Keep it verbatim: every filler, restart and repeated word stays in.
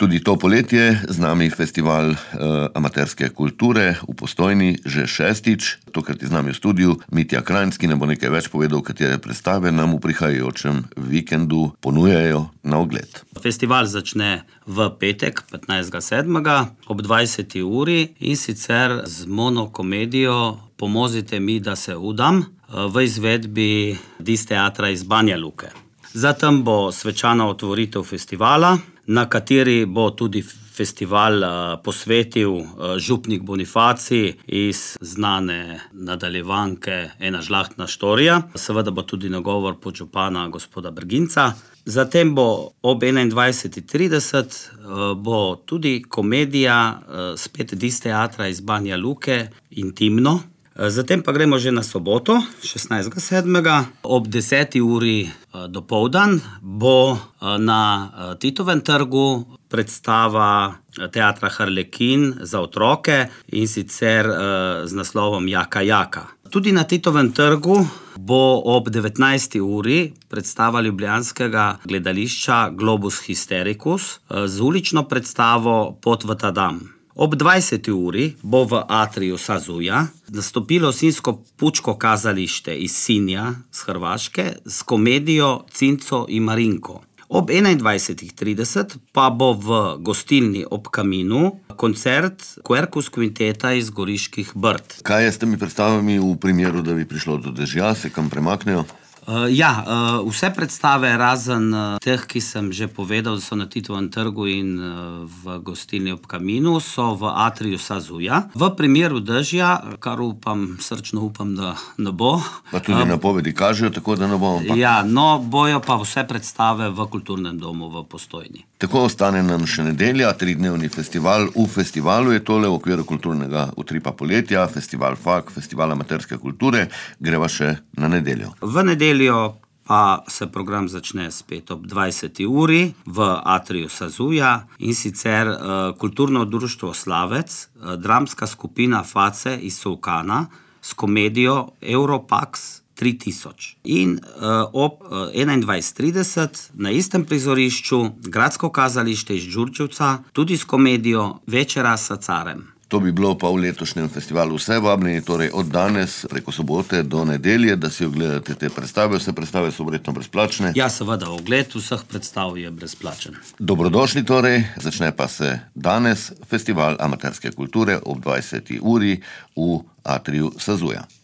Tudi to poletje z nami festival uh, amaterske kulture v Postojni že šestič. Tokrat je z nami v studiu Mitja Krajnc, ki nam bo nekaj več povedal, katere predstave nam v prihajajočem vikendu ponujajo na ogled. Festival začne v petek, petnajstega sedmega ob dvajseti uri in sicer z monokomedijo Pomozite mi, da se udam v izvedbi Dis teatra iz Banja Luke. Zatem bo svečana otvoritev festivala, na kateri bo tudi festival posvetil župnik Bonifacij iz znane nadaljevanke Ena žlahtna štorija. Seveda bo tudi nagovor podžupana gospoda Brginca. Zatem bo ob enaindvajseti trideset bo tudi komedija spet Dis teatra iz Banja Luke Intimno. Zatem pa gremo že na soboto, šestnajstega sedmega ob deseti uri dopoldan bo na Titovem trgu predstava teatra Harlekin za otroke in sicer z naslovom Jaka, Jaka. Tudi na Titovem trgu bo ob devetnajsti uri predstava ljubljanskega gledališča Globus Hystericus z ulično predstavo Pot v ta dam. Ob dvajseti uri bo v atriju Sazuja nastopilo sinsko pučko kazalište iz Sinja z Hrvaške s komedijo Cinco i Marinko. Ob enaindvajsetih trideset pa bo v gostilni Ob kaminu koncert Quercus kvinteta iz Goriških Brd. Kaj je s temi predstavami v primeru, da bi prišlo do dežja, se kam premaknejo? Uh, ja, uh, vse predstave razen uh, teh, ki sem že povedal, da so na Titovem trgu in uh, v gostilni Ob kaminu, so v atriju Sazuja. V primeru dežja, kar upam, srčno upam, da ne bo. Pa tudi uh, napovedi kažejo, tako da ne bo. Ampak... Ja, no, bojo pa vse predstave v Kulturnem domu v Postojni. Tako ostane nam še nedelja, tridnevni festival. V festivalu je tole v okviru kulturnega utripa poletja, festival F A K, festival amaterske kulture. Greva še na nedeljo. V nedeljo pa se program začne spet ob dvajseti uri v atriju Sazuja in sicer uh, kulturno društvo Slavec, uh, dramska skupina Face iz Solkana s komedijo Europax tri tisoč. In uh, ob uh, enaindvajset trideset na istem prizorišču Gradsko kazalište iz Đurđevca tudi s komedijo Večera sa carem. To bi bilo pa v letošnjem festivalu vse. Vabljeni torej od danes preko sobote do nedelje, da si ogledate te predstave. Vse predstave so verjetno brezplačne. Ja, seveda, ogled vseh predstav je brezplačen. Dobrodošli torej, začne pa se danes festival amaterske kulture ob dvajseti uri v atriju Sazuja.